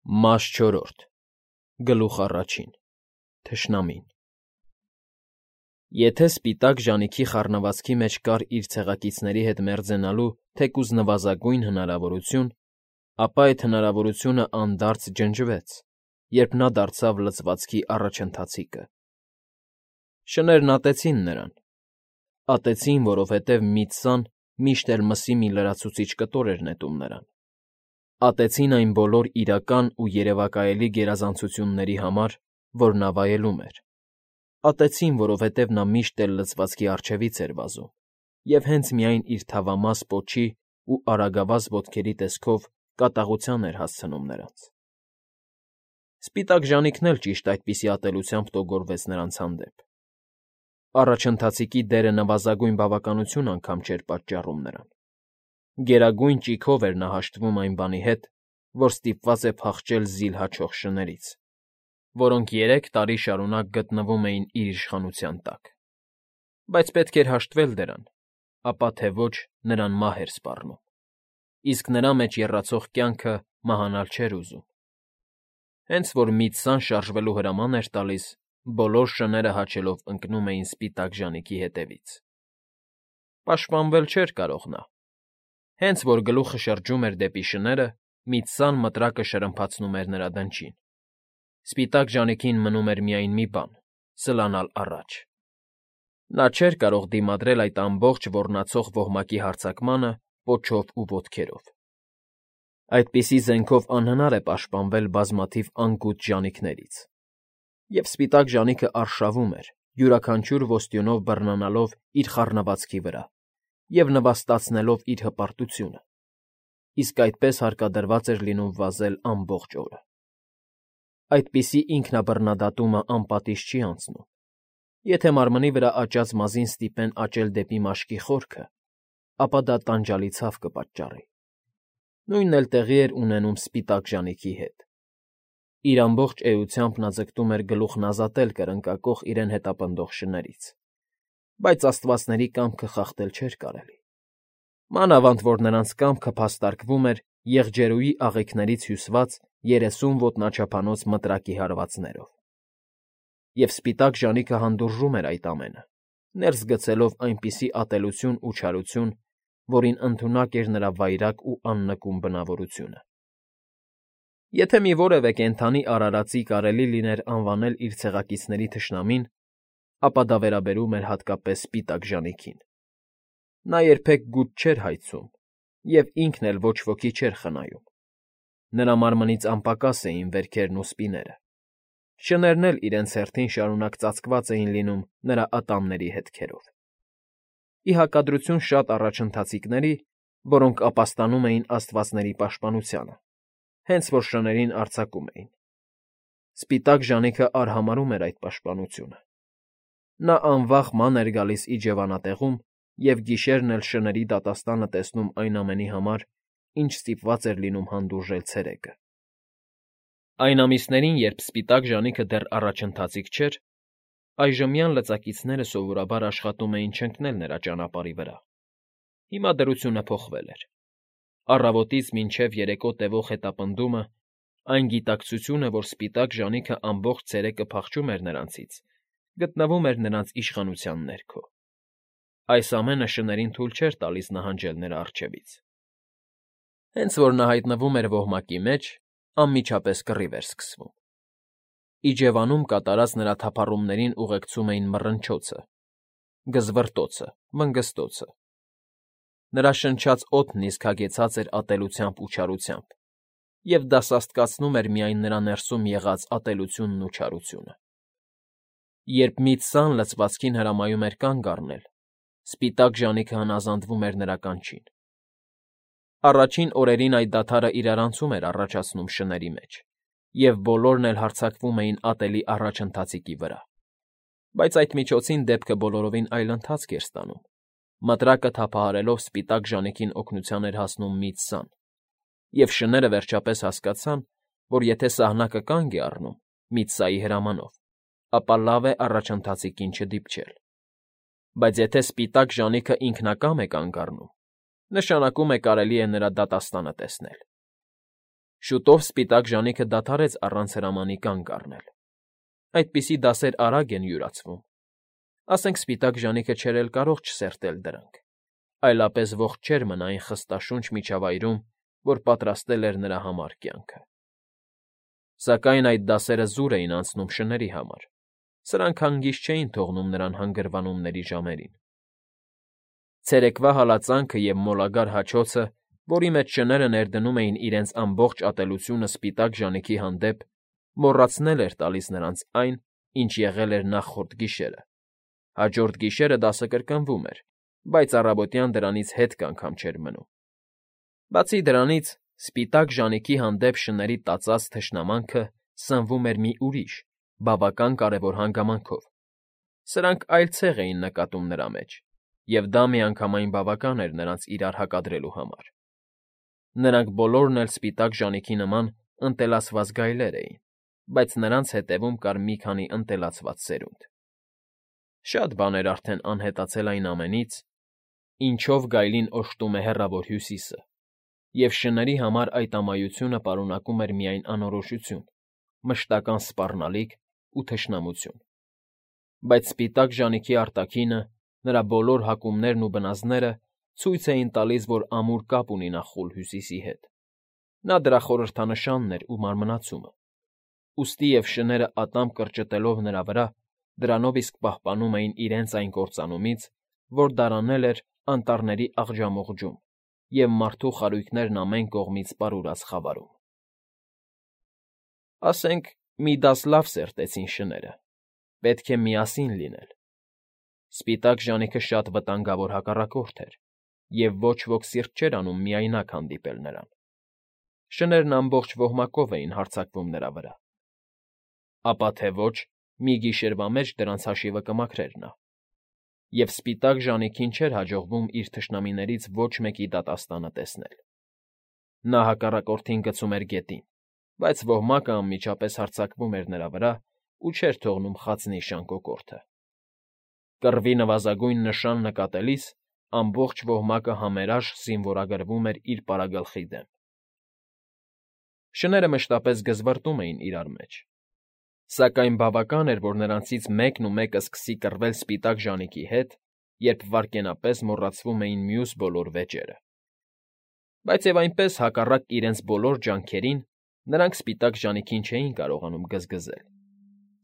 Մաս 4 Գլուխ առաջին Թշնամին Եթե սպիտակ ժանիքի խառնվածքի մեջ կար իր ցեղակիցների հետ մերձենալու թեկուզ նվազագույն հնարավորություն, ապա այդ հնարավորությունը անդարձ ջնջվեց, երբ նա դարձավ լծվածքի առաջընթացիկը։ Շներն ատեցին նրան, ատեցին, որովհետև Միծսան միշտ էլ մսի մի լրացուցիչ կտոր էր նետում նրան։ Ատեցին այն բոլոր իրական ու երևակայելի գերազանցությունների համար, որ նա վայելում էր։ Ատեցին, որովհետև նա միշտ էլ լծվածքի առջևից էր վազում և հենց միայն իր թավամաս պոչի ու արագավազ ոտքերի տեսքով կատաղության էր հասցնում նրանց։ Սպիտակ ժանիքն էլ ճիշտ այդպիսի ատելությամբ տոգորվեց նրանց հանդեպ։ Առաջընթացիկի դերը նվազագույն բավականություն անգամ չէր պատճառում նրան։ Գերագույն ճիգով էր նա հաշտվում այն բանի հետ, որ ստիպված է փախչել զիլ հաչող շներից, որոնք 3 տարի շարունակ գտնվում էին իր իշխանության տակ։ Բայց պետք էր հաշտվել դրան, ապա թե ոչ նրան մահ էր սպառնում, իսկ նրա մեջ եռացող կյանքը մահանալ չէր ուզում։ Հենց որ Միծսան շարժվելու հրաման էր տալիս, բոլոր շները հաչելով ընկնում էին սպիտակ ժանիքի հետևից։ Պաշտպանվել չէր կարող նա։ Հենց որ գլուխը շրջում էր դեպի շները, Միծսան մտրակը շրմփացնում էր նրա դնչին։ Սպիտակ ժանիքին մնում էր միայն մի բան՝ սլանալ առաջ։ Նա չէր կարող դիմադրել այդ ամբողջ ոռնացող ոհմակի հարձակմանը պոչով ու ոտքերով։ Այդպիսի զենքով անհնար է պաշտպանվել բազմաթիվ անկուտ ժանիքներից։ Եվ սպիտակ ժանիքը արշավում էր, յուրաքանչյուր ոստյունով բռնանալով իր խառնվածքի վրա և նվաստացնելով իր հպարտությունը, իսկ այդպես հարկադրված էր լինում վազել ամբողջ օրը։ Այդպիսի ինքնաբռնադատումը անպատիժ չի անցնում։ Եթե մարմնի վրա աճած մազին ստիպեն աճել դեպի մաշկի խորքը, ապա դա տանջալի ցավ կպատճառի։ Նույնն էլ տեղի էր ունենում սպիտակ ժանիքի հետ։ Իր ամբողջ էությամբ նա ձգտում էր գլուխն ազատել կրնկակոխ իրեն հետապնդող շներից, բայց աստվածների կամքը խախտել չէր կարելի։ Մանավանդ որ նրանց կամքը փաստարկվում էր եղջերուի աղիքներից հյուսված 30 ոտնաչափանոց մտրակի հարվածներով։ Եվ սպիտակ ժանիքը հանդուրժում էր այդ ամենը, ներս գցելով այնպիսի ատելություն ու չարություն, որին ընդունակ էր նրա վայրագ ու աննկուն բնավորությունը։ Եթե մի որևէ կենդանի արարածի կարելի լիներ անվանել իր ցեղակիցների թշնամին, ապա դա վերաբերում էր հատկապես սպիտակ ժանիքին։ Նա երբեք գութ չէր հայցում և ինքն էլ ոչ ոքի չէր խնայում։ Նրա մարմնից անպակաս էին վերքերն ու սպիները։ Շներն էլ իրենց հերթին շարունակ ծածկված էին լինում նրա ատամների հետքերով։ Ի հակադրություն շատ առաջընթացիկների, որոնք ապաստանում էին աստվածների պաշտպանությանը, հենց որ շներին արձակում էին։ Սպիտակ ժանիքը արհամարհում էր այդ պաշտպանությունը։ Նա անվախ ման էր գալիս իջևանատեղում և գիշերն էլ շների դատաստանը տեսնում այն ամենի համար, ինչ ստիպված էր լինում հանդուրժել ցերեկը։ Այն ամիսներին, երբ սպիտակ ժանիքը դեռ առաջընթացիկ չէր, այժմյան լծակիցները սովորաբար աշխատում էին չընկնել նրա ճանապարհի վրա։ Հիմա դրությունը փոխվել էր։ Առավոտից մինչև երեկո տևող հետապնդումը, այն գիտակցությունը, որ սպիտակ ժանիքը ամբողջ ցերեկը փախչում էր նրանցից, գտնվում էր նրանց իշխանության ներքո։ Այս ամենը շներին թույլ չէր տալիս նահանջել նրա առջևից։ Հենց որ նա հայտնվում էր ոհմակի մեջ, անմիջապես կռիվ էր սկսվում։ Իջևանում կատարած նրա թափառումներին ուղեկցում էին մռնչոցը, գզվռտոցը, վնգստոցը։ Նրա շնչած օդն իսկ հագեցած էր ատելությամբ ու չարությամբ, և դա սաստկացնում էր միայն նրա ներսում եղած ատելությունն ու չարությունը։ Երբ Միծսան լծվածքին հրամայում էր կանգ առնել, սպիտակ ժանիքը հնազանդվում էր նրա կանչին։ Առաջին օրերին այդ դադարը իրարանցում էր առաջացնում շների մեջ, և բոլորն էլ հարձակվում էին ատելի առաջընթացիկի վրա։ Բայց այդ միջոցին դեպքը բոլորովին այլ ընթացք էր ստանում։ Մտրակը թափահարելով սպիտակ ժանիքին օգնության էր հասնում Միծսան, և շները վերջապես հասկացան, որ եթե սահնակը կանգ է առնում Միծսայի հրամանով, ապա լավ է առաջընթացիկին չդիպչել։ Բայց եթե սպիտակ ժանիքը ինքնակամ է կանգ առնում, նշանակում է կարելի է նրա դատաստանը տեսնել։ Շուտով սպիտակ ժանիքը դադարեց առանց հրամանի կանգ առնել. այդպիսի դասեր արագ են յուրացվում, ասենք սպիտակ ժանիքը չէր էլ կարող չսերտել դրանք, այլապես ողջ չէր մնա այն խստաշունչ միջավայրում, որ պատրաստել էր նրա համար կյանքը։ Սակայն այդ դասերը զուր էին անցնում շների համար, սրանք հանգիստ չէին թողնում նրան հանգրվանումների ժամերին։ Ցերեկվա հալածանքը և մոլագար հաչոցը, որի մեջ շները ներդնում էին իրենց ամբողջ ատելությունը սպիտակ ժանիքի հանդեպ, մոռացնել էր տալիս նրանց այն, ինչ եղել էր նախորդ գիշերը։ Հաջորդ գիշերը դասը կրկնվում էր, բայց առավոտյան դրանից հետք անգամ չէր մնում։ Բացի դրանից, սպիտակ ժանիքի հանդեպ շների տածած թշնամանքը սնվում էր մի ուրիշ, բավական կարևոր հանգամանքով. սրանք այլ ցեղ էին նկատում նրա մեջ, և դա միանգամայն բավական էր նրանց իրար հակադրելու համար։ Նրանք բոլորն էլ սպիտակ ժանիքի նման ընտելացված գայլեր էին, բայց նրանց հետևում կար մի քանի ընտելացված սերունդ։ Շատ բան էր արդեն անհետացել այն ամենից, ինչով գայլին օժտում է Հեռավոր Հյուսիսը, և շների համար այդ ամայությունը պարունակում էր միայն անորոշություն, մշտական սպառնալիք ու թշնամություն։ Բայց սպիտակ ժանիքի արտաքինը, նրա բոլոր հակումներն ու բնազդները ցույց էին տալիս, որ ամուր կապ ունի նա խուլ Հյուսիսի հետ։ Նա դրա խորհրդանշանն էր ու մարմնացումը։ Ուստի և շները ատամ կրճտելով նրա վրա, դրանով իսկ պահպանում էին իրենց այն կործանումից, որ դարանել էր անտառների աղջամուղջում և մարդու խարույկներն ամեն կողմից պարուրած խավարում։ Ասենք, մի դաս լավ սերտեցին շները, պետք է միասին լինել։ Սպիտակ ժանիքը շատ վտանգավոր հակառակորդ էր, և ոչ ոք սիրտ չէր անում միայնակ հանդիպել նրան։ Շներն ամբողջ ոհմակով էին հարձակվում նրա վրա։ Ապա թե ոչ, մի գիշերվա մեջ դրանց հաշիվը կմաքրեր նա։ Եվ սպիտակ ժանիքին չէր հաջողվում իր թշնամիներից ոչ մեկի դատաստանը տեսնել։ Նա հակառակորդին գցում էր գետին, բայց ոհմակը անմիջապես հարձակվում էր նրա վրա ու չէր թողնում խացնի շան կոկորդը։ Կռվի նվազագույն նշան նկատելիս ամբողջ ոհմակը համերաշխ զինվորագրվում էր իր պարագլխի դեմ։ Շները մշտապես գզվռտում էին իրար մեջ, սակայն բավական էր, որ նրանցից մեկն ու մեկը սկսի կռվել սպիտակ ժանիքի հետ, երբ վայրկենապես մոռացվում էին մյուս բոլոր վեճերը։ Բայց և այնպես, հակառակ իրենց բոլոր ջանքերին, նրանք սպիտակ ժանիքին չէին կարողանում գզգզել։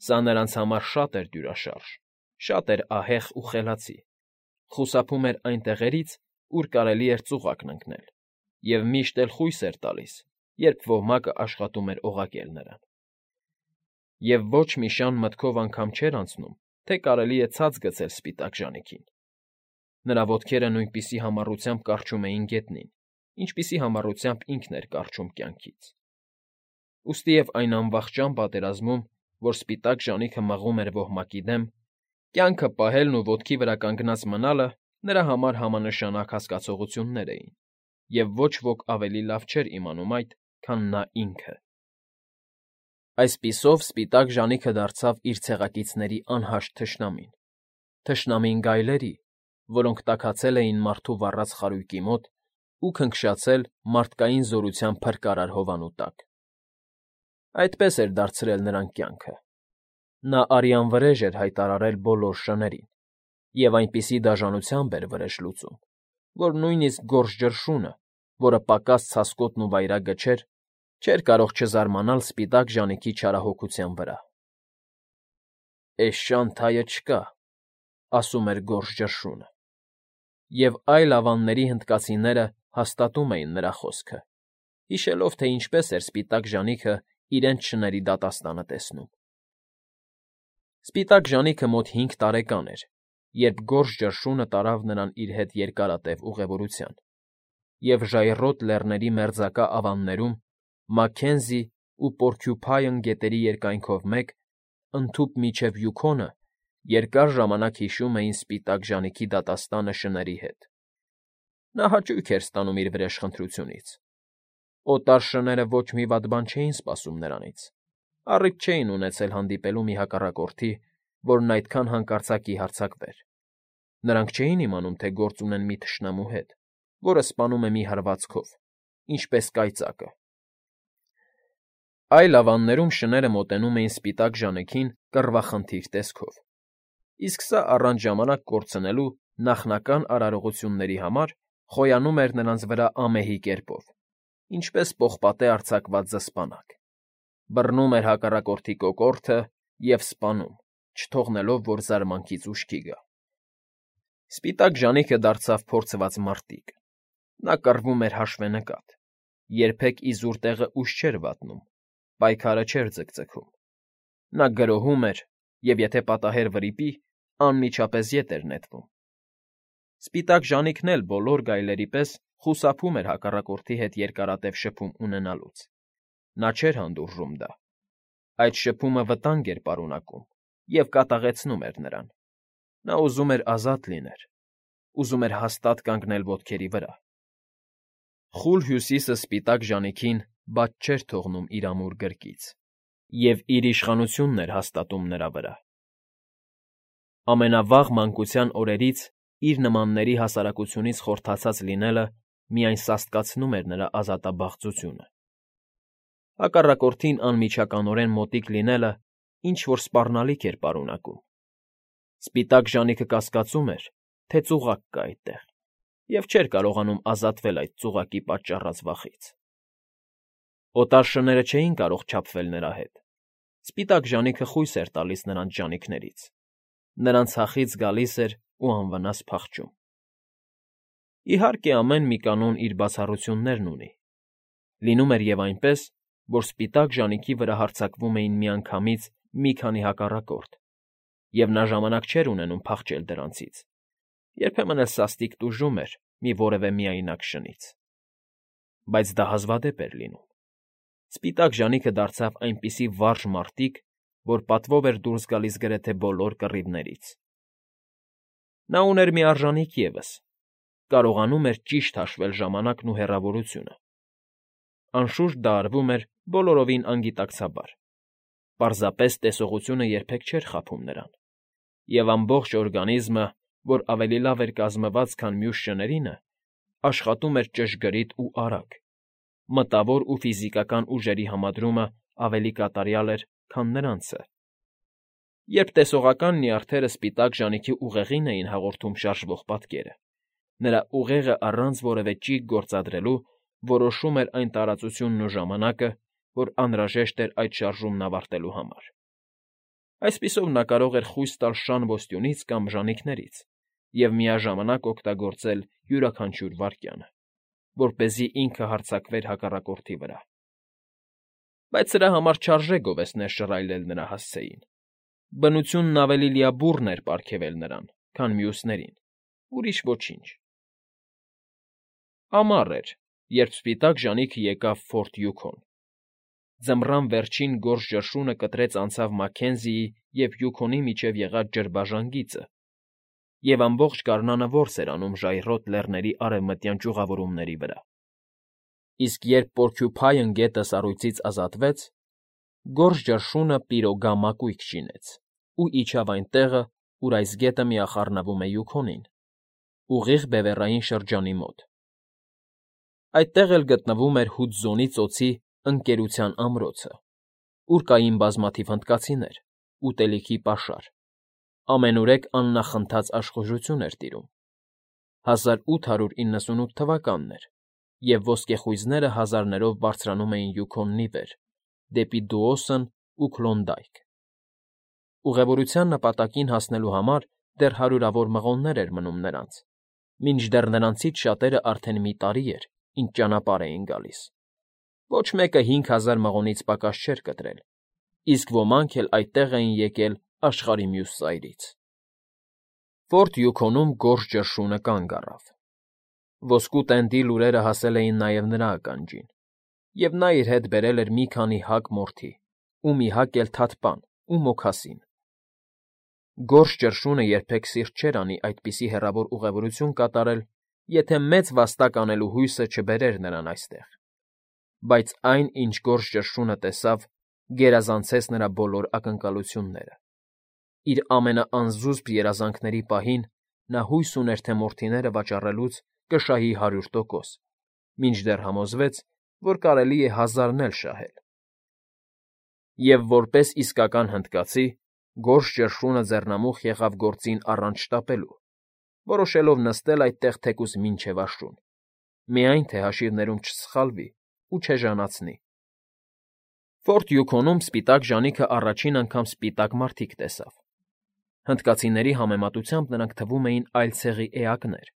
Սա նրանց համար շատ էր դյուրաշարժ, շատ էր ահեղ ու խելացի, խուսափում էր այն տեղերից, ուր կարելի էր ծուղակն ընկնել, և միշտ էլ խույս էր տալիս, երբ ոհմակը աշխատում էր օղակել նրան։ Եվ ոչ մի շան մտքով անգամ չէր անցնում, թե կարելի է ցած գցել սպիտակ ժանիքին։ Նրա ոտքերը նույնպիսի համառությամբ կառչում էին գետնին, ինչպիսի համառությամբ ինքն էր կառչում կյանքից։ Ուստի և այն անվախճան պատերազմում, որ սպիտակ ժանիքը մղում էր ոհմակի դեմ, կյանքը պահելն ու ոտքի վրա կանգնած մնալը նրա համար համանշանակ հասկացություններ էին, և ոչ ոք ավելի լավ չէր իմանում այդ, քան նա ինքը։ Այսպիսով սպիտակ ժանիքը դարձավ իր ցեղակիցների անհաշտ թշնամին գայլերի, որոնք տաքացել էին մարդու վառած խարույկի մոտ ու քնքշացել մարդկային զորության փրկարար հովանու տակ։ Այդպես էր դարձրել նրան կյանքը։ Նա արյան վրեժ էր հայտարարել բոլոր շներին, և այնպիսի դաժանությամբ էր վրեժ լուծում, որ նույնիսկ գորշ ջրշունը, որը պակաս ցասկոտն ու վայրագը չէր կարող չզարմանալ սպիտակ ժանիքի չարահոգության վրա։ «Էս շան թայը չկա», ասում էր գորշ ջրշունը, և այլ ավանների հնդկացիները հաստատում էին նրա խոսքը, հիշելով, թե ինչպես էր սպիտակ ժանիքը իրենց շների դատաստանը տեսնում։ Սպիտակ ժանիքը մոտ 5 տարեկան էր, երբ գորշ ջրշունը տարավ նրան իր հետ երկարատև ուղևորության, և ժայռոտ լեռների մերձակա ավաններում Մաքքենզի ու Պորքյուփայն գետերի երկայնքով մեկ, ընդհուպ մինչև Յուքոնը, երկար ժամանակ հիշում էին սպիտակ ժանիքի դատաստանը շների հետ։ Նա հաճույք էր ստանում իր վրեժխնդրությունից։ Օտար շները ոչ մի վատ բան չէին սպասում նրանից, առիթ չէին ունեցել հանդիպելու մի հակառակորդի, որն այդքան հանկարծակի հարձակվեր։ Նրանք չէին իմանում, թե գործ ունեն մի թշնամու հետ, որը սպանում է մի հրվածքով, ինչպես կայծակը։ Այլ ավաններում շները մոտենում էին սպիտակ ժանիքին կռվախնդիր տեսքով, իսկ սա առանց ժամանակ կորցնելու նախնական արարողությունների համար խոյանում էր նրանց վրա ամեհի կերպով, ինչպես պողպատե արձակված զսպանակ, բռնում էր հակառակորդի կոկորդը և սպանում, չթողնելով, որ զարմանքից ուշքի գա։ Սպիտակ ժանիքը դարձավ փորձված մարտիկ։ Նա կռվում էր հաշվենկատ, երբեք իզուր տեղը ուժ չէր վատնում, պայքարը չէր ձգձգում։ Նա գրոհում էր և, եթե պատահեր վրիպի, անմիջապես ետ էր նետվում։ Սպիտակ ժանիքն էլ բոլոր գայլերի պես խուսափում էր հակառակորդի հետ երկարատև շփում ունենալուց։ Նա չէր հանդուրժում դա։ Այդ շփումը վտանգ էր պարունակում և կատաղեցնում էր նրան։ Նա ուզում էր ազատ լինել, ուզում էր հաստատ կանգնել ոտքերի վրա։ Խուլ հյուսիսը սպիտակ ժանիքին բաց չէր թողնում իր ամուր գրկից և իր իշխանությունն էր հաստատում նրա վրա։ Ամենավաղ մանկության օրերից իր նմանների հասարակությունից խորթացած լինելը միայն սաստկացնում էր նրա ազատաբաղձությունը։ Հակառակորդին անմիջականորեն մոտիկ լինելը ինչ֊որ սպառնալիք էր պարունակում։ Սպիտակ ժանիքը կասկածում էր, թե ծուղակ կա այդտեղ, և չէր կարողանում ազատվել այդ ծուղակի պատճառած վախից։ Օտար շները չէին կարող չափվել նրա հետ։ Սպիտակ ժանիքը խույս էր տալիս նրանց ժանիքներից, նրանց հախից գալիս էր ու անվնաս փախչում։ Իհարկե, ամեն մի կանոն իր բացառություններն ունի։ Լինում էր և այնպես, որ սպիտակ ժանիքի վրա հարձակվում էին միանգամից մի քանի հակառակորդ, և նա ժամանակ չէր ունենում փախչել դրանցից, երբեմն էլ սաստիկ տուժում էր մի որևէ միայնակ շնից։ Բայց դա հազվադեպ էր լինում։ Սպիտակ ժանիքը դարձավ այնպիսի վարժ մարտիկ, որ պատվով էր դուրս գալիս գրեթե բոլոր կռիվներից։ Նա ուներ մի արժանիք ևս. կարողանում էր ճիշտ հաշվել ժամանակն ու հեռավորությունը։ Անշուշտ դա արվում էր բոլորովին անգիտակցաբար։ Պարզապես տեսողությունը երբեք չէր խաբում նրան, և ամբողջ օրգանիզմը, որ ավելի լավ էր կազմված, քան մյուս շներինը, աշխատում էր ճշգրիտ ու արագ, մտավոր ու ֆիզիկական ուժերի համադրումը ավելի կատարյալ էր, քան նրանցը։ Երբ տեսողական նյարդերը սպիտակ ժանիքի ուղեղին էին հաղորդում շարժվող պատկերը, նրա ուղեղը առանց որևէ ճիգ գործադրելու որոշում էր այն տարածությունն ու ժամանակը, որ անհրաժեշտ էր այդ շարժումն ավարտելու համար։ Այսպիսով նա կարող էր խույս տալ շան ոստյունից կամ ժանիքներից և միաժամանակ օգտագործել յուրաքանչյուր վայրկյանը, որպեսզի ինքը հարձակվեր հակառակորդի վրա։ Բայց սրա համար չարժե գովեստներ շռայլել նրա հասցեին։ Բնությունն ավելի լիաբուռն էր պարգևել նրան, քան մյուսներին, ուրիշ ոչինչ։ Ամառ էր, երբ սպիտակ ժանիքը եկավ Ֆորտ Յուքոն։ Ձմռան վերջին գորշ ճնշումը կտրեց անցավ Մաքքենզիի և Յուքոնի միջև եղած ջրբաժան գիծը, և ամբողջ գարնանը որս էր անում ժայռոտ լեռների արևմտյան ճյուղավորումների վրա։ Իսկ երբ Պորքյուփայն գետը սառույցից ազատվեց, գորշ ճնշումը պիրոգա մակույկը շինեց ու իջավ այն տեղը, ուր այս գետը միախառնվում է Յուքոնին, ուղիղ Բևեռային շրջանի մոտ։ Այդտեղ էլ գտնվում էր Հուդզոնի ծոցի Ընկերության ամրոցը, ուր կային բազմաթիվ հնդկացիներ, ուտելիքի պաշար, ամենուրեք աննախընթաց աշխուժություն էր տիրում։ 1898 թվականն էր, և ոսկեխույզները հազարներով բարձրանում էին Յուքոնն ի վեր, դեպի Դուոսն ու Քլոնդայք։ Ուղևորության նպատակին հասնելու համար դեռ հարյուրավոր մղոններ էր մնում նրանց, մինչդեռ նրանցից շատերը արդեն մի տարի էր, ինչ ճանապարհ էին գալիս։ Ոչ մեկը 5000 մղոնից պակաս չէր կտրել, իսկ ոմանք էլ այդտեղ էին եկել աշխարհի մյուս ծայրից։ Ֆորտ Յուքոնում գորշ ճնշումը կանգ առավ։ Ոսկու տենդի լուրերը հասել էին նաև նրա ականջին, և նա իր հետ բերել էր մի քանի հակ մորթի ու մի հակ էլ թաթպան ու մոքասին։ Գորշ ճնշումը երբեք սիրտ չէր անի այդպիսի հեռավոր ուղևորություն կատարել, եթե մեծ վաստակ անելու հույսը չբերեր նրան այստեղ։ Բայց այն, ինչ գորշ ճնշումը տեսավ, գերազանցեց նրա բոլոր ակնկալությունները։ Իր ամենաանզուսպ երազանքների պահին նա հույս ուներ, թե մորթիները վաճառելուց կշահի 100%, մինչդեռ համոզվեց, որ կարելի է հազարն էլ շահել։ Եվ որպես իսկական հնդկացի, գորշ ճռշունը ձեռնամուխ եղավ գործին առանց շտապելու, որոշելով նստել այդտեղ թեկուզ մինչև աշուն, միայն թե հաշիվներում չսխալվի ու չեժանացնի։ Ֆորտ Յուքոնում սպիտակ ժանիքը առաջին անգամ սպիտակ մարդիկ տեսավ։ Հնդկացիների համեմատությամբ նրանք թվում էին այլ ցեղի էակներ,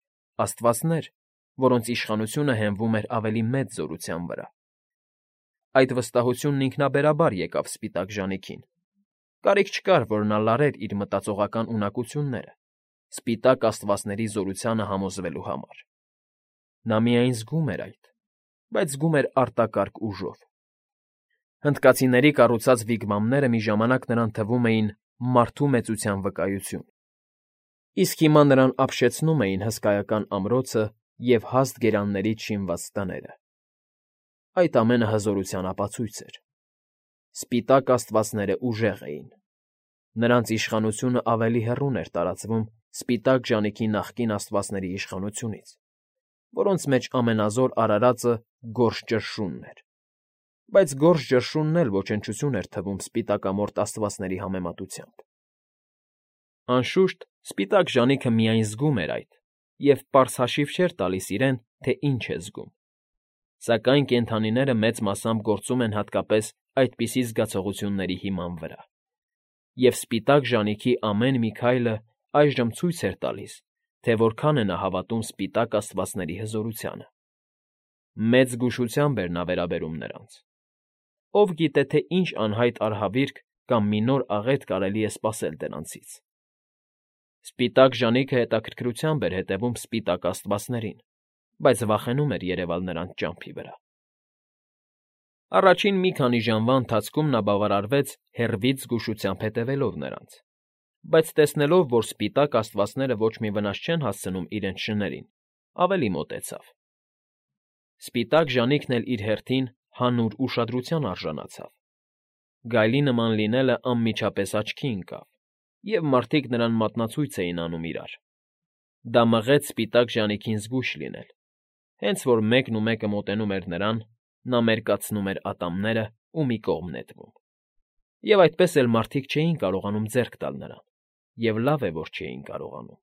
աստվածներ, որոնց իշխանությունը հենվում էր ավելի մեծ զորության վրա։ Այդ վստահությունն ինքնաբերաբար եկավ սպիտակ ժանիքին։ Կարիք չկար, որ նա լարեր իր մտածողական ունակությունները, սպիտակ աստվածների զորությանը համոզվելու համար։ Նա միայն զգում էր այդ, բայց զգում էր արտակարգ ուժով։ Հնդկացիների կառուցած վիգվամները մի ժամանակ նրան թվում էին մարդու մեծության վկայություն, իսկ հիմա նրան ապշեցնում էին հսկայական ամրոցը և հաստ գերաններից շինված տները։ Այդ ամենը հզորության ապացույց էր։ Սպիտակ աստվածները ուժեղ էին։ Նրանց իշխանությունը ավելի հեռուն էր տարածվում սպիտակ ժանիքի նախկին աստվածների իշխանությունից, որոնց մեջ ամենազոր արարածը գորշ ճռշունն էր։ Բայց գորշ ճռշունն էլ ոչնչություն էր թվում սպիտակամորթ աստվածների համեմատությամբ։ Անշուշտ, սպիտակ ժանիքը միայն զգում էր այդ և պարզ հաշիվ չէր տալիս իրեն, թե ինչ է զգում։ Սակայն կենդանիները մեծ մասամբ գործում են հատկապես այդպիսի զգացողությունների հիման վրա։ Եվ սպիտակ ժանիքի ամեն մի քայլը այժմ ցույց էր տալիս, թե որքան է նա հավատում սպիտակ աստվածների հզորությանը։ Մեծ զգուշությամբ էր նա վերաբերում նրանց։ Ով գիտե, թե ինչ անհայտ արհավիրք կամ մի նոր աղետ կարելի է սպասել դրանցից։ Սպիտակ ժանիքը հետաքրքրությամբ էր հետևում սպիտակ աստվածներին, բայց վախենում էր երևալ նրանց ճամփի վրա։ Առաջին մի քանի ժամվա ընթացքում նա բավարարվեց հեռվից զգուշությամբ հետևելով նրանց, բայց տեսնելով, որ սպիտակ աստվածները ոչ մի վնաս չեն հասցնում իրենց շներին, ավելի մոտեցավ։ Սպիտակ ժանիքն էլ իր հերթին հանուր ուշադրության արժանացավ։ Գայլի նման լինելը անմիջապես աչքի ընկավ, և մարդիկ նրան մատնացույց էին անում իրար։ Դա մղեց սպիտակ ժանիքին զգույշ լինել։ Հենց որ մեկն ու մեկը մոտենում էր նրան, նա մերկացնում էր ատամները ու մի կողմ նետվում։ Եվ այդպես էլ մարդիկ չէին կարողանում ձեռք տալ նրան, և լավ է, որ չէին կարողանում։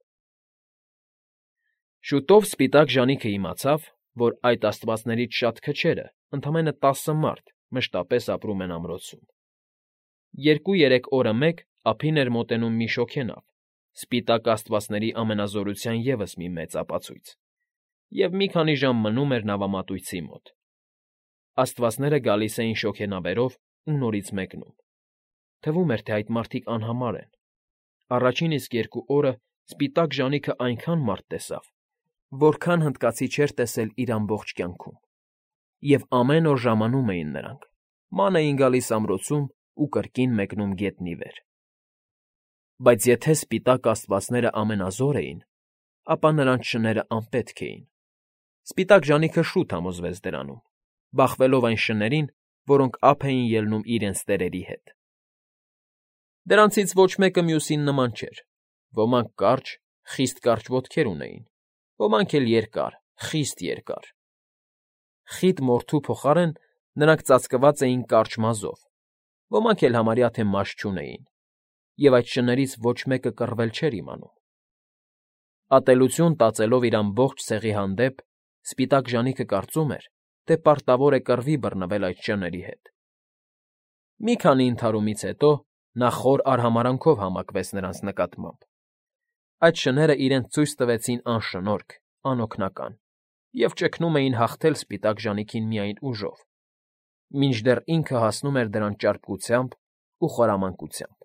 Շուտով սպիտակ ժանիքը իմացավ, որ այդ աստվածներից շատ քչերը, ընդամենը 10 մարդ, մշտապես ապրում են ամրոցում։ 2-3 օրը մեկ ափին էր մոտենում մի շոգենավ, սպիտակ աստվածների ամենազորության ևս մի մեծ ապացույց, և մի քանի ժամ մնում էր նավամատույցի մոտ։ Աստվածները գալիս էին շոգենավերով ու նորից մեկնում։ Թվում էր, թե այդ մարդիկ անհամար են։ Առաջին իսկ 2 օրը սպիտակ ժանիքը այնքան մարդ տեսավ, որքան հնդկացի չէր տեսել իր ամբողջ կյանքում։ Եվ ամեն օր ժամանում էին նրանք, ման էին գալիս ամրոցում ու կրկին մեկնում գետնի վեր։ Բայց եթե սպիտակ աստվածները ամենազոր էին, ապա նրանց շները անպետք էին։ Սպիտակ ժանիքը շուտ համոզվեց դրանում, բախվելով այն շներին, որոնք ափ էին ելնում իրենց տերերի հետ։ Դրանցից ոչ մեկը մյուսին նման չէր։ Ոմանք կարճ, խիստ կարճ ոտքեր ունեին, ոմանք էլ երկար, խիստ երկար։ Խիտ մորթու փոխարեն նրանք ծածկված էին կարճ մազով, ոմանք էլ համարյա թե մաշ չունեին, և այդ շներից ոչ մեկը կռվել չէր իմանում։ Ատելություն տածելով իր ամբողջ ցեղի հանդեպ, սպիտակ ժանիքը կարծում էր, թե պարտավոր է կռվի բռնվել այդ շների հետ։ Մի քանի ընդհարումից հետո նա խոր արհամարհանքով համակվեց նրանց նկատմամբ։ Այդ շները իրենց ցույց տվեցին անշնորհք, անօգնական և ճգնում էին հաղթել սպիտակ ժանիքին միայն ուժով, մինչդեռ ինքը հասնում էր դրան ճարպկությամբ ու խորամանկությամբ։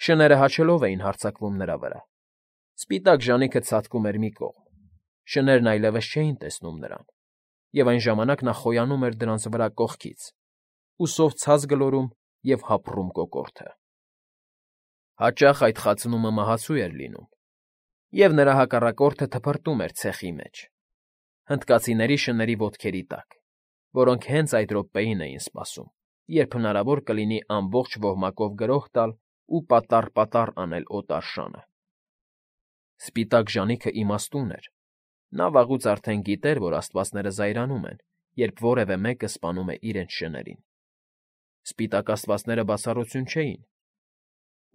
Շները հաչելով էին հարձակվում նրա վրա։ Սպիտակ ժանիքը ցատկում էր մի կողմ, շներն այլևս չէին տեսնում նրան, և այն ժամանակ նա խոյանում էր դրանց վրա կողքից, ուսով ցած գլորում և հապռում կոկորդը։ Հաճախ այդ խացնումը մահացու էր լինում, և նրա հակառակորդը թփրտում էր ցեխի մեջ, հնդկացիների շների ոտքերի տակ, որոնք հենց այդ րոպեին էին սպասում, երբ հնարավոր կլինի ամբողջ ոհմակով գրոհ տալ ու պատառ֊պատառ անել օտար շանը։ Սպիտակ ժանիքը իմաստուն էր։ Նա վաղուց արդեն գիտեր, որ աստվածները զայրանում են, երբ որևէ մեկը սպանում է իրենց շներին։ սպիտակ աստվածները բացառություն չէին։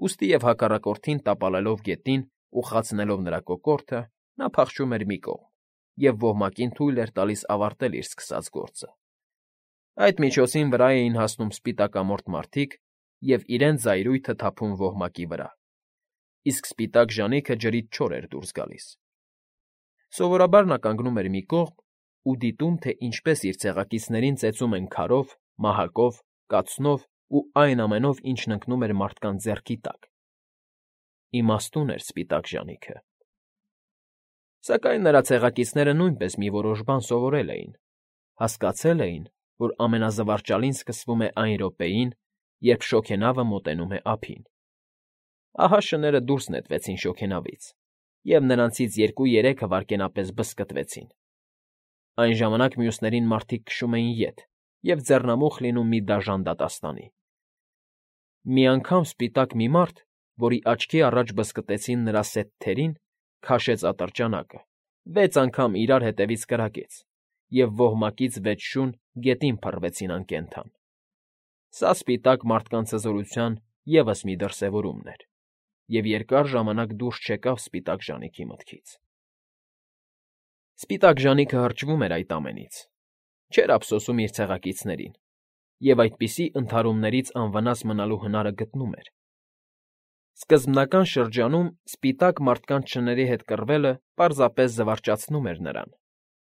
Ուստի և հակառակորդին տապալելով գետին ու խացնելով նրա կոկորդը, նա փախչում էր մի կողմ և ոհմակին թույլ էր տալիս ավարտել իր սկսած գործը։ Այդ միջոցին վրա էին հասնում սպիտակամորթ մարդիկ և իրենց զայրույթը թափում ոհմակի վրա, իսկ սպիտակ ժանիքը ջրից չոր էր դուրս գալիս։ Սովորաբար նա կանգնում էր մի կողմ ու դիտում, թե ինչպես իր ցեղակիցներին ծեծում են քարով, մահակով, կացնով ու այն ամենով, ինչն ընկնում էր մարդկանց ձեռքի տակ։ Իմաստուն էր սպիտակ ժանիքը։ Սակայն նրա ցեղակիցները նույնպես մի որոշ բան սովորել էին, հասկացել էին, որ ամենազվարճալին սկսվում է այն րոպեին, երբ շոգենավը մոտենում է ափին։ Ահա շները դուրս նետվեցին շոգենավից, և նրանցից 2-3-ը վայրկենապես բզկտվեցին։ Այն ժամանակ մյուսներին մարդիկ քշում էին ետ և ձեռնամուխ լինում մի դաժան դատաստանի։ Մի անգամ սպիտակ մի մարդ, որի աչքի առաջ բզկտեցին նրա սեթ թերին, քաշեց ատրճանակը, 6 անգամ իրար հետևից կրակեց, և ոհմակից 6 շուն գետին փռվեցին անկենդան։ Սա սպիտակ մարդկանց հզորության ևս մի դրսևորումն էր, և երկար ժամանակ դուրս չեկավ սպիտակ ժանիքի մտքից։ Սպիտակ ժանիքը հրճվում էր այդ ամենից, չէր ափսոսում իր ցեղակիցներին և այդպիսի ընդհարումներից անվնաս մնալու հնարը գտնում էր։ Սկզբնական շրջանում սպիտակ մարդկանց շների հետ կռվելը պարզապես զվարճացնում էր նրան,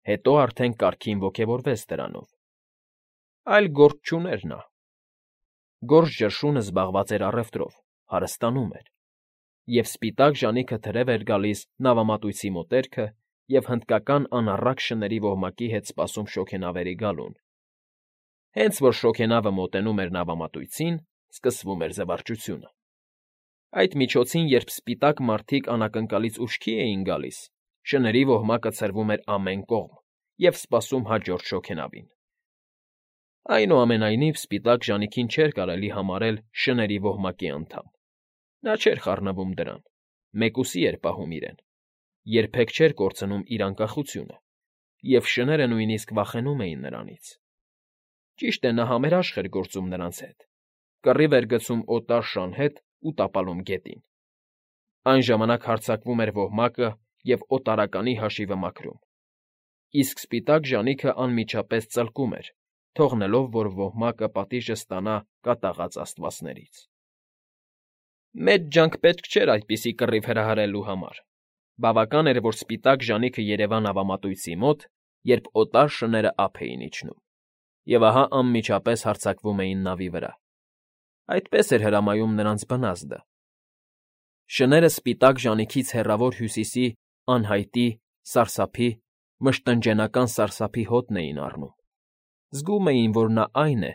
հետո արդեն կարգին ոգևորվեց դրանով։ Այլ գործ չուներ նա։ Գորշ ճնշունը զբաղված էր առևտրով, հարստանում էր, և սպիտակ ժանիքը թրև էր գալիս նավամատույցի մոտերքը և հնդկական անառակ շների ոհմակի հետ սպասում շոգենավերի գալուն։ Հենց որ շոգենավը մոտենում էր նավամատույցին, սկսվում էր զվարճությունը։ Այդ միջոցին, երբ սպիտակ մարդիկ անակնկալից ուշքի էին գալիս, շների ոհմակը ցրվում էր ամեն կողմ և սպասում հաջորդ շոգենավին։ Այնուամենայնիվ սպիտակ ժանիքին չէր կարելի համարել շների ոհմակի անդամ։ Նա չէր խառնվում դրան, մեկուսի էր պահում իրեն, երբեք չէր կորցնում իր անկախությունը, և շները նույնիսկ վախենում էին նրանից։ Ճիշտ է, նա համերաշխ էր գործում նրանց հետ, կռիվ էր գցում օտար շան հետ ու տապալում գետին։ Այն ժամանակ հարձակվում էր ոհմակը և օտարականի հաշիվը մաքրում, իսկ սպիտակ ժանիքը անմիջապես ծլկում էր, թողնելով, որ ոհմակը պատիժը ստանա կատաղած աստվածներից։ Մեծ ջանք պետք չէր այդպիսի կռիվ հրահրելու համար։ Բավական էր, որ սպիտակ ժանիքը երևա նավամատույցի մոտ, երբ օտար շները ափ էին իջնում, և ահա անմիջապես հարձակվում էին նավի վրա։ Այդպես էր հրամայում նրանց բնազդը։ Շները սպիտակ ժանիքից հեռավոր հյուսիսի անհայտի, սարսափի, մշտնջենական սարսափի հոտն էին առնում։ Զգում էին, որ նա այն է,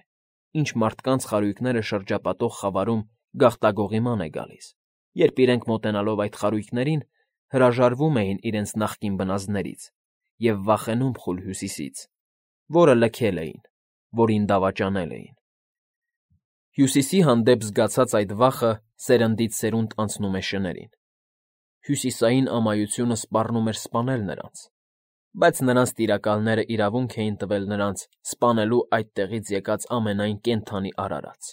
ինչ մարդկանց խարույկները շրջապատող խավարում գաղտագողիման է գալիս, երբ իրենք մոտենալով այդ խարույկներին հրաժարվում էին իրենց նախկին բնազդներից և վախենում խուլ Հյուսիսից, որը լքել էին, որին դավաճանել էին։ Հյուսիսի հանդեպ զգացած այդ վախը սերնդից սերունդ անցնում է շներին։ Հյուսիսային ամայությունը սպառնում էր սպանել նրանց, բայց նրանց տիրակալները իրավունք էին տվել նրանց սպանելու այդտեղից եկած ամենայն կենդանի արարած։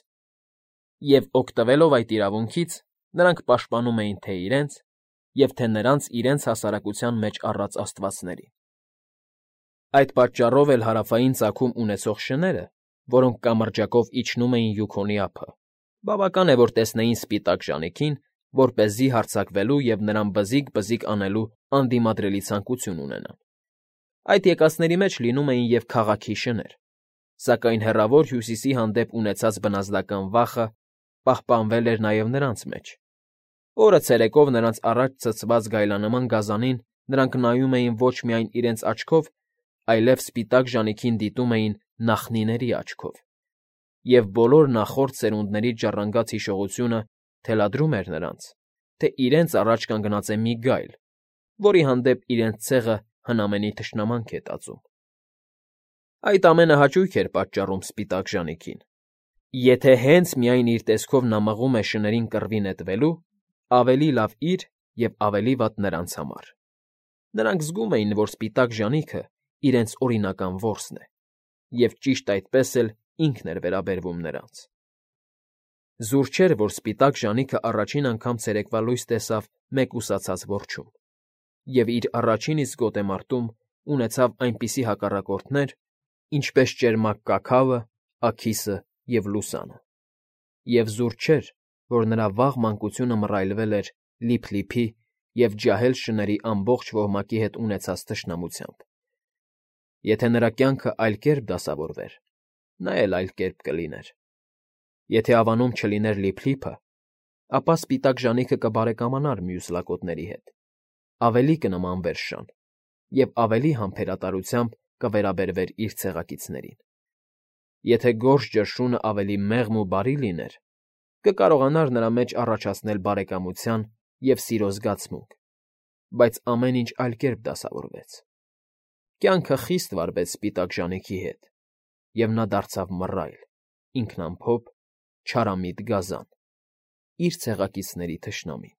Եվ օգտվելով այդ իրավունքից, նրանք պաշտպանում էին թե իրենց և թե նրանց իրենց հասարակության մեջ առած աստվածներին։ Այդ պատճառով էլ հարավային ծագում ունեցող շները, որոնք կամրջակով իջնում էին Յուքոնի ափը, բավական է, որ տեսնեին սպիտակ ժանիքին, որպեսզի հարձակվելու և նրան բզիկ-բզիկ անելու անդիմադրելի ցանկություն ունենան։ Այդ եկածների մեջ լինում էին և քաղաքի շներ, սակայն հեռավոր Հյուսիսի հանդեպ ունեցած բնազդական վախը պահպանվել էր նաև նրանց մեջ։ Օրը ցերեկով նրանց առաջ ցցված գայլանման գազանին նրանք նայում էին ոչ միայն իրենց աչքով, այլև սպիտակ ժանիքին դիտում էին նախնիների աչքով, և բոլոր նախորդ սերունդներից ժառանգած հիշողությունը թելադրում էր նրանց, թե իրենց առաջ կանգնած է մի գայլ, որի հանդեպ իրենց ցեղը հնամենի թշնամանք է տածում։ Այդ ամենը հաճույք էր պատճառում սպիտակ ժանիքին։ Եթե հենց միայն իր տեսքով նա մղում է շներին կռվի նետվելու, ավելի լավ իր և ավելի վատ նրանց համար։ Նրանք զգում էին, որ սպիտակ ժանիքը իրենց օրինական որսն է, և ճիշտ այդպես էլ ինքն էր վերաբերվում նրանց։ Զուր չէր, որ սպիտակ ժանիքը առաջին անգամ ցերեկվա լույս տեսավ մեկուսացած որջում, և իր առաջին իսկ գոտեմարտում ունեցավ այնպիսի հակառակորդներ, ինչպես ճերմակ կաքավը, աքիսը և լուսանը, և զուր չէր, որ նրա վաղ մանկությունը մռայլվել էր լիփլիփի և ջահել շների ամբողջ ոհմակի հետ ունեցած թշնամությամբ. եթե նրա կյանքը այլ կերպ դասավորվեր, նա էլ այլ կերպ կլիներ. եթե ավանում չլիներ Լիփլիփը, ապա սպիտակ ժանիքը կբարեկամանար մյուս լակոտների հետ, ավելի կնմանվեր շան և ավելի համբերատարությամբ կվերաբերվեր իր ցեղակիցներին. եթե գորշ ճրշունը ավելի մեղմ ու բարի լիներ, կկարողանար նրա մեջ առաջացնել բարեկամության և սիրո զգացմունք, բայց ամեն ինչ այլ կերպ դասավորվեց. կյանքը խիստ վարվեց սպիտակ ժանիքի հետ, և նա դարձավ մռայլ, ինքնամփոփ, չարամիտ գազան, իր ցեղակիցների թշնամին։